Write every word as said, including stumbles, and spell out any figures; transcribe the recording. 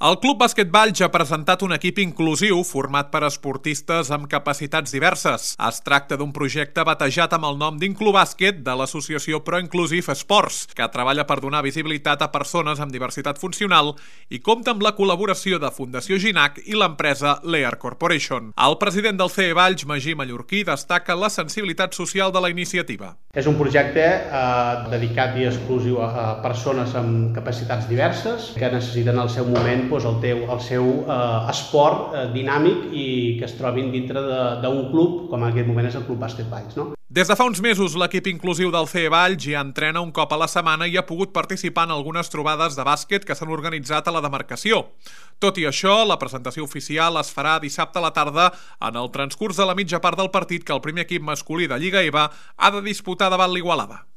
El Club Bàsquet Valls ha presentat un equip inclusiu format per esportistes amb capacitats diverses. Es tracta d'un projecte batejat amb el nom d'Inclubàsquet de l'associació ProInclusive Sports, que treballa per donar visibilitat a persones amb diversitat funcional i compta amb la col·laboració de Fundació Ginac i l'empresa Lear Corporation. El president del C E Valls, Magí Mallorquí, destaca la sensibilitat social de la iniciativa. És un projecte eh, dedicat i exclusiu a, a persones amb capacitats diverses que necessiten al seu moment doncs, el, teu, el seu eh, esport eh, dinàmic i que es trobin dintre d'un club, com en aquest moment és el Club Bàsquet Valls. No? Des de fa uns mesos, l'equip inclusiu del C E Valls ja entrena un cop a la setmana i ha pogut participar en algunes trobades de bàsquet que s'han organitzat a la demarcació. Tot i això, la presentació oficial es farà dissabte a la tarda en el transcurs de la mitja part del partit que el primer equip masculí de Lliga E V A ha de disputar davant l'Igualada.